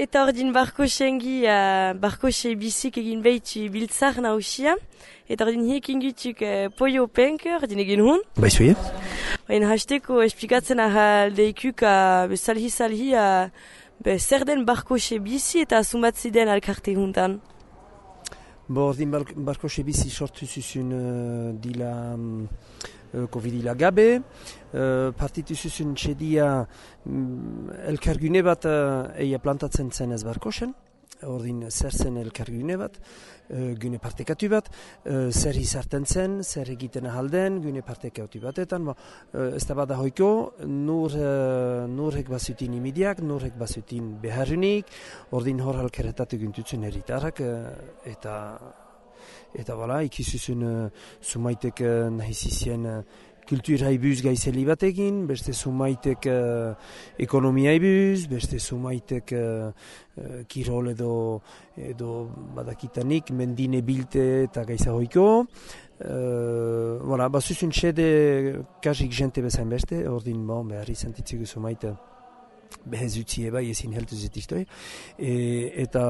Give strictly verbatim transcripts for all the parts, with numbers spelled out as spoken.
Eta ordin barko sengi, uh, barko se bizik egin behitu biltzar nausia. Eta ordin hiek ingutuk uh, poio penk, ordin egin hun. Baizuie? Ordin hasteko esplikatzen ahaldeikuk uh, salhi-salhi uh, be, zer den barko se bizi eta sumatzi den alkarte huntan. Bo, ordin barko se bizi sortu zuzun uh, dila... Um, Covidila gabe, uh, partitu zuzun txedia um, elkargune bat uh, eia plantatzen zen ez barkosen, ordin zer zen elkargune bat, uh, gune partekatu bat, uh, zer izarten zen, zer egiten ahalden, gune partekatu batetan, bo, uh, ez da bada hoiko, nur, uh, nurrek bazutin imidiak, nurrek bazutin beharrunik, ordin hor halkeretatu gintutzen eritarrak, uh, eta... Eta bala, ikizuzun uh, sumaitek uh, nahizizien uh, kultura ibuz gaizeli batekin, beste sumaitek uh, ekonomia ibuz, beste sumaitek uh, uh, kirol edo, edo badakitanik, mendine bilte eta gaiza hoiko. Uh, voilà, bazuzun txede kasik jente bezain beste, ordin bon, behar izan titzigu sumaite. Behez utzi eba, ezin heltu zetiztoi. E, eta,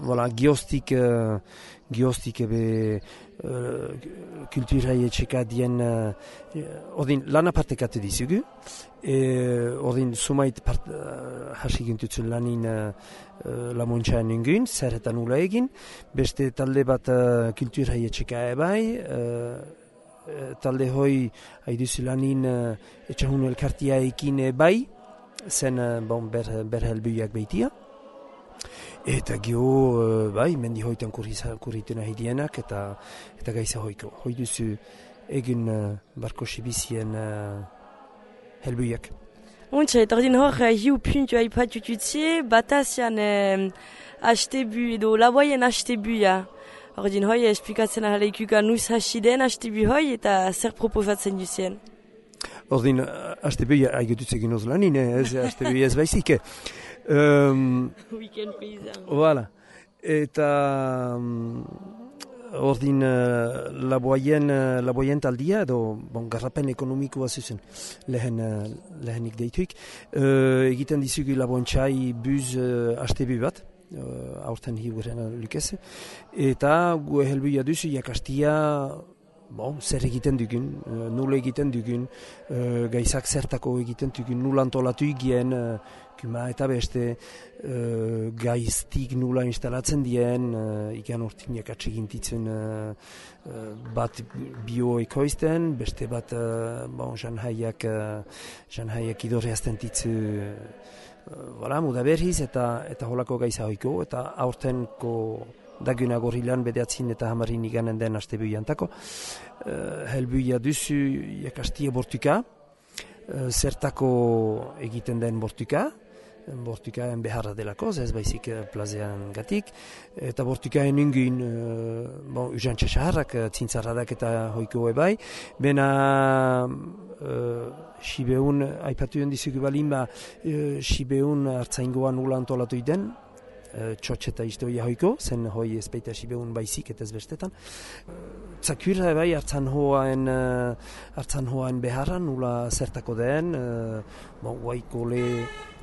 voilà, gioztik, uh, gioztik ebe uh, kulturai etxeka dien, uh, ordin, lana partekatu dizugu. E, ordin, sumait part, uh, hasik intutzen lanin uh, lamontxaen ingun, zer eta nula egin. Beste talde bat uh, kulturai etxeka ebai, uh, talde hoi haiduzu lanin uh, etxahun elkartia ekin ebai, zen bon, ber, ber helbuiak behitia. Eta gio, uh, bai, mendi hoitan kurritzen ahidienak eta, eta gaiza hoiko. Hoi duzu egin uh, barko sibizien uh, helbuiak. Untxe, eta ordin hor, hiu puntu haipatututzie, batazian eh, hastebu edo laboien hastebuia. Ordin hoi, esplikatzen ahaleikuka nuz hasiden hastebu hoi eta zer proposatzen duzien. Ordin, hastebuia haigututze ginoz lanin, ez hastebuia ez baizike. Um, Weekend paysan. Voilà. Eta um, ordin uh, laboien, uh, laboien taldia, edo bon, garrapen ekonomikoa zuzen lehen, uh, lehenik deituik. Uh, egiten dizugu laboentxai buz uh, hastebu bat, uh, aurten higuren lukeze. Eta gu helbuia duzu jakastia bon, zer egiten dugun, uh, nula egiten dugun, uh, gaizak zertako egiten dugun, nula antolatu egien, uh, kuma eta beste uh, gaiztik nula instalatzen dien, uh, ikan urtinak atsegintitzen uh, uh, bat bioekoizten, beste bat uh, bon, janhaiak, uh, janhaiak idorreazten ditzu uh, voilà, muda berriz eta, eta holako gaiza hoiko, eta aurtenko daguna gorilan bedeatzin eta hamarin iganen den astebuiantako. Uh, helbuia duzu jakastia bortuka, uh, zertako egiten den bortuka, bortukaen beharra delako, ez baizik plazean gatik, eta bortukaen inguin, uh, bon, usantxe saharrak, zintzarradak eta hoiko ebai, bena uh, Sibeun, aipatuen dizugu balin ba, uh, Sibeun hartzaingoa nula antolatu den, txotx eta historia hoiko, zen hoi ezpeita Sibeun baizik eta ez bestetan. Zakurra bai hartzan hoaen, hartzan hoaen beharra, nula zertako den, bon, guai kole,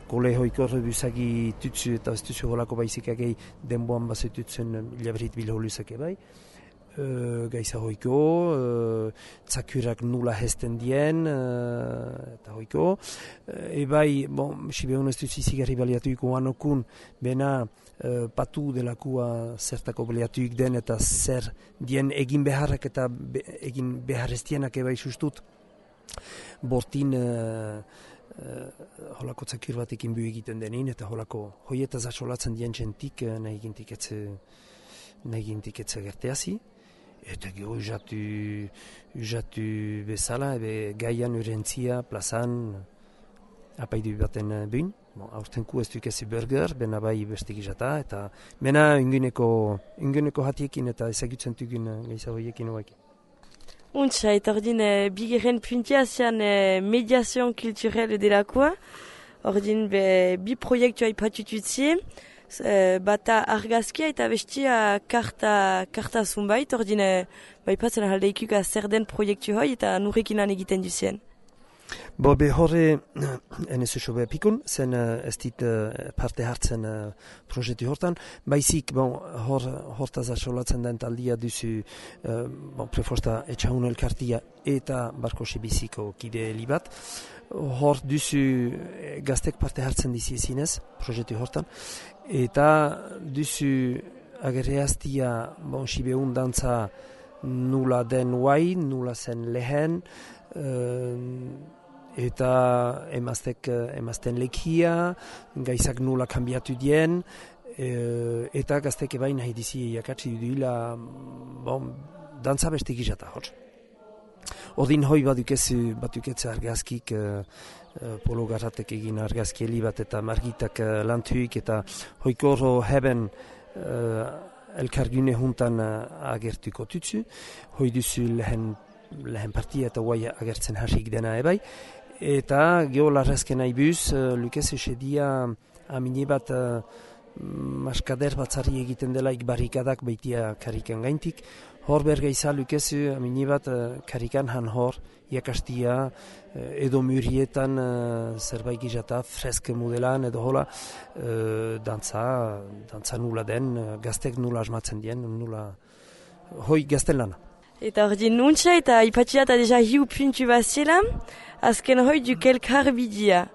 kole hoiko rebusagi tutsu eta ez tutsu holako baizik agei denboan bazetutzen ilabrit bilholuzak bai. Uh, gaiza hoiko, uh, zakurak nula hesten dien, uh, eta hoiko. Uh, ebai, bon, Sibeun ez dut izigarri baliatuiko anokun, bena uh, patu delakua zertako baliatuik den, eta zer dien egin beharrak eta be, egin beharreztienak ebai sustut. Bortin uh, uh, holako zakur batekin bu egiten denin, eta holako hoietaz asolatzen dien jentik uh, nahi gintik etze, nahi gintik etze gerteazi. Eta gero usatu, usatu bezala, ebe gaian urentzia, plazan, apaidu baten buin. Bon, aurtenku ez dukezi burger, bena bai bestik izata, eta mena inguneko, inguneko hatiekin eta ezagutzen dugun gaiza horiekin hoekin. Untxa, eta ordin, e, bigeren puntia zean e, mediazioan kulturel delakoa. Ordin, be, bi proiektua ipatututzie. Uh, bata argazkia eta bestia karta, karta zunbait, ordin uh, baipatzen ahaldeikuka zer den proiektu hoi eta nurrekinan egiten duzien. Bo be horre enez oso behapikun, zen ez dit parte hartzen proiektu hortan, baizik bon, hor, hortaz asolatzen den taldia duzu bon, prefosta etxahun elkartia eta Barkosi biziko kide libat, hor duzu gaztek parte hartzen dizi zinez, proiektu hortan, eta duzu agerreaztia bon, sibeun dantza nula den guai, nula zen lehen, eta emaztek, emazten lekia, gaizak nula kanbiatu dien, e, eta gaztek ebain nahi dizi jakatsi duila bon, dantza beste gizata hor. Ordin hoi badukezu, batuketze argazkik, e, polo garratek egin argazki heli bat eta margitak e, lantuik eta hoikoro heben e, elkargune juntan agertuko tutsu, hoi duzu lehen, lehen partia eta guai agertzen hasik dena ebai, eta geolarrezken aibuz, uh, lukez esedia amine bat uh, maskader batzari egiten delaik barrikadak baitia karikan gaintik. Hor bergaiza lukezu amine bat uh, karikan han hor, iakastia, uh, edo murietan uh, zerbait gizata, freske modelan edo hola, uh, dantza, dantza nula den, uh, gaztek nula asmatzen dien, nula, hoi gazten lana. Eta hor din nuntza eta ipatxia eta deja hiu puntu baziela, azken hoi duk elkar bidia.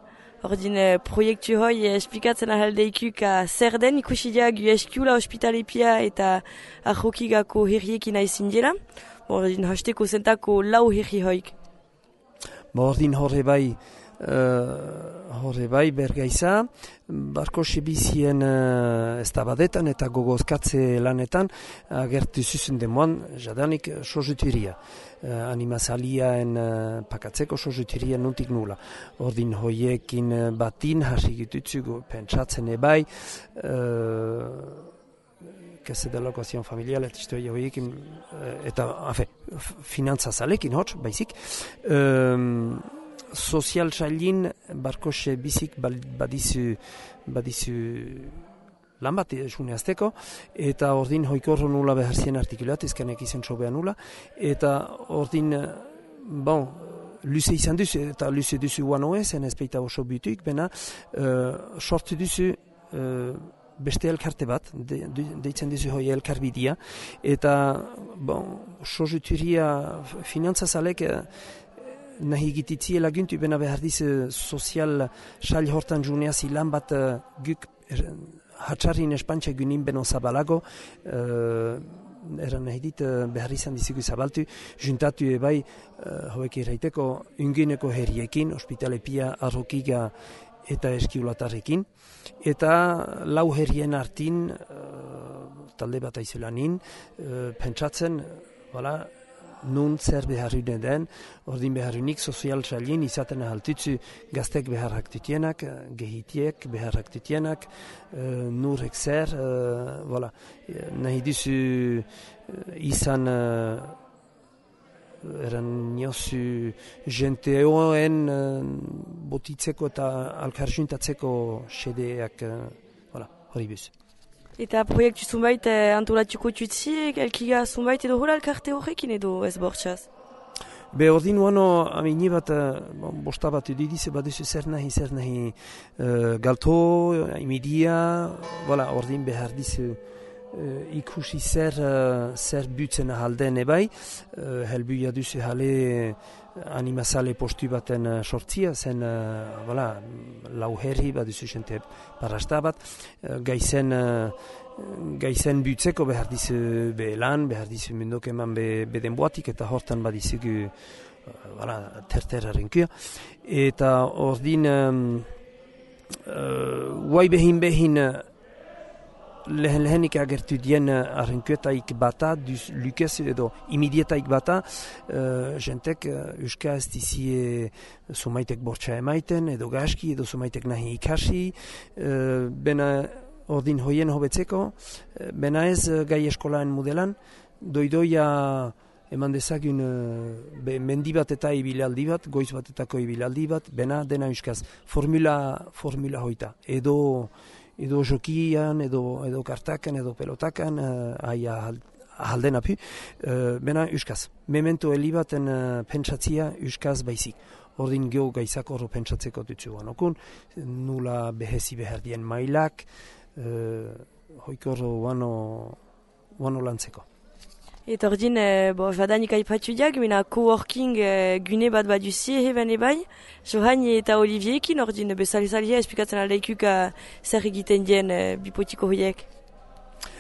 Hor din eh, proiektu hoi esplikatzen ahaldeikuk zer den ikusidia gu eskiula ospitalepia eta ahokigako herriekin aizin dela. Hor din hasteko zentako lau herri hoik. Hor din horre bai, uh, horre bai bergaiza, Barkosi bizien uh, ez tabadetan eta gogozkatze lanetan agertu zuzen demoan jadanik sozutiria. Uh, animazaliaen uh, pakatzeko sozutiria nuntik nula. Ordin hoiekin uh, batin hasigitutzu pentsatzen ebai, uh, kese de lokazion familial eta historia hoiekin uh, eta afe, finantza zalekin hotz, baizik. Um, sozial sailin Barkose bizik badizu, badizu lan bat esune azteko, eta ordin hoikorro nula beharzien artikulat, ezkanek izan sobea nula, eta ordin, bon, luze izan duzu, eta luze duzu guanoe, zen ezpeita oso butuik, bena, uh, sortu duzu uh, beste elkarte bat, de, de, deitzen duzu hoi elkarbidia, eta, bon, sozuturia finantzazalek, uh, nahi egititzie laguntu bena behar diz sozial sail hortan juneaz ilan bat uh, guk er, hatxarrin espantxe gunin beno zabalago, uh, eran nahi dit uh, behar izan dizigu zabaltu, juntatu ebai uh, hoek irraiteko ungineko herriekin, ospitalepia, arrokiga eta eskiulatarrekin, eta lau herrien artin, uh, talde bat aizelanin, uh, pentsatzen, voilà, nun zer beharrune den, ordin beharrunik sozial sailin izaten ahaltutzu gaztek beharrak tutienak, gehitiek beharrak tutienak, uh, nurek zer, uh, voilà. Nahi duzu uh, izan uh, eran niozu jenteoen uh, botitzeko eta alkarjuntatzeko sedeak, uh, voilà, hori buz. Eta proiektu zunbait eh, antolatuko tutsi, elkiga zunbait edo hola elkarte horrekin edo ez bortxaz? Be ordin uano amini bat, bon, bosta bat edidize baduzu zer nahi, zer nahi uh, galto, imidia, voilà, ordin behar dizu uh, ikusi zer, uh, zer butzen ahalden ebai, uh, helbuia duzu jale animazale postu baten uh, sortzia, zen, uh, voilà, lau herri baduzu jente parasta bat, uh, gaizen, uh, gaizen butzeko behar dizu behelan, behar dizu mendok eman be, beden boatik, eta hortan badizugu uh, voilà, terteraren kia. Eta ordin, um, uh, guai behin behin, uh, lehen lehenik agertu dien arrenkuetaik bata, duz lukez edo imidietaik bata, uh, jentek uh, euska ez dizie sumaitek bortxa emaiten, edo gaski, edo sumaitek nahi ikasi, uh, bena ordin hoien hobetzeko, uh, bena ez uh, gai eskolaen modelan, doidoia eman dezagun uh, be, mendi bat eta ibilaldi bat, goiz batetako ibilaldi bat, bena dena euskaz, formula, formula hoita, edo edo jokian, edo, edo kartakan, edo pelotakan, uh, aia ahalden apu, uh, bena euskaz. Memento heli baten uh, pentsatzia euskaz baizik. ordin geho gaizak horro pentsatzeko dutzu guanokun, nula behezi behar dien mailak, uh, hoik horro guano, guano lantzeko. Eta ordin, e, bo, jadanik aipatu diak, mena coworking e, gune bat bat duzie heben ebai. Johan eta Oliviekin, ordin, bezalizalia esplikatzen aldeikuk zer egiten dien e, bipotiko hoiek.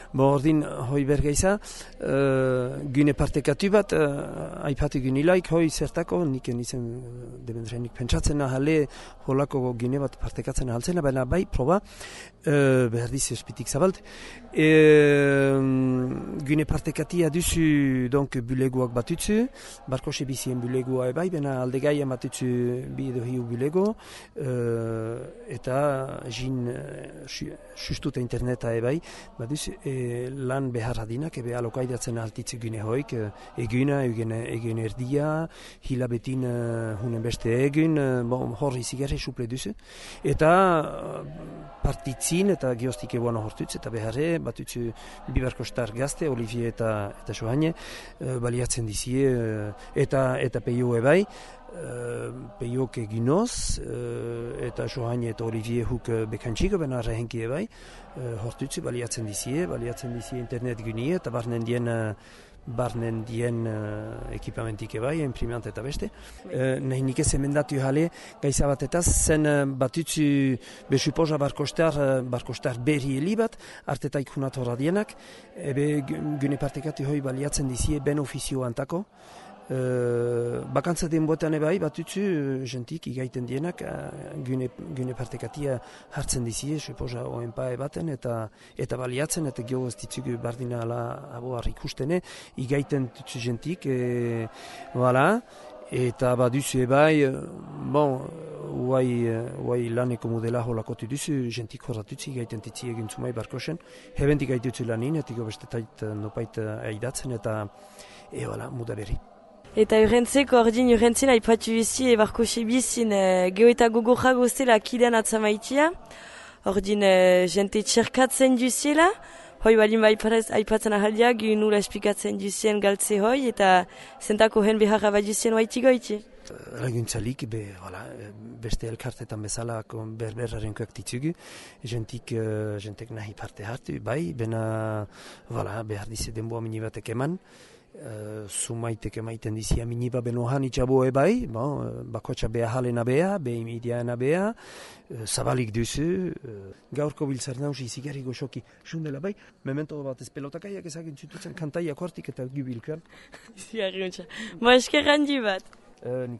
Bo, ordin, hoi bergeiza, uh, gune partekatu bat, uh, aipatu gunilaik, hoi zertako, nik nizen uh, debendrenik pentsatzen ahale, holako gune bat partekatzen ahaltzena, baina bai, proba, uh, behar dizi espitik zabalt. E, um, gune partekatia duzu, donc, bulegoak batutzu, barko sebizien bulegoa ebai, baina aldegai amatutzu bi edo hiu bulego, uh, eta jin uh, sustuta interneta ebai, baduzu, e, lan behar adinak, ebe alokaidatzen altitze gune hoik, eguna, egin erdia, hilabetin uh, hunen beste egun, uh, bon, horri zigarri suple duzu. Eta uh, partitzin eta geostik ebuana hortutz, eta beharre, batutzu bibarko star gazte, Olivier eta, eta Johanne, uh, baliatzen dizie, uh, eta, eta peio ebai, Uh, peiok eginoz, uh, eta Johanne eta Olivier huk uh, bekantxiko, bena rehenki ebai, uh, hortutzi baliatzen dizie, baliatzen dizie internet gunie, eta barnen dien, uh, barnen dien uh, ekipamentik ebai, imprimant eta beste. Uh, nahi nik ez emendatu jale, gaiza batetaz, zen uh, batutzu besupoza barkostar, uh, barkostar berri heli bat, artetaik hunat horra dienak, ebe gune partekatu hoi baliatzen dizie ben ofizio antako, Uh, bakantza den boetan ebai, batutzu, uh, jentik igaiten dienak, uh, gune, gune partekatia hartzen dizie, suposa oenpa ebaten, eta eta baliatzen, eta geho ez ditzugu bardina ala aboar ikustene, igaiten tutzu jentik, e, voilà, eta baduzu ebai, bon, uai, uai laneko modela holakotu duzu, jentik horratutzi igaiten titzi egin zumai barkosen, hebentik gaitutzu lanin, etiko bestetait nopait aidatzen, eta e, voilà, muda berri. Eta urrentzeko, ordin urrentzen aipatu bizi ebarko sebizin e, geho eta gogorra gozela kidean atzamaitia. Ordin e, jente txerkatzen duziela, hoi balin aipatzen ahaldia, gu nula esplikatzen duzien galtze hoi, eta zentako hen beharra bat duzien waiti goiti. Laguntzalik, be, voilà, beste elkartetan bezala berberraren koak ditzugu, jentik, uh, jentek nahi parte hartu, bai, bena voilà, behar dize denboa minibatek eman, Uh, sumaitek emaiten dizia miniba benohan itxabo ebai, bon, uh, bakotxa beha halena beha, beha imidiana beha, uh, zabalik duzu, uh, gaurko biltzar nausi zigarri goxoki sundela bai, memento bat ez pelotakaiak ezagin zututzen kantaiak hortik eta gubilkoan. Zigarri untxa. Mo eskerrandi bat. Uh,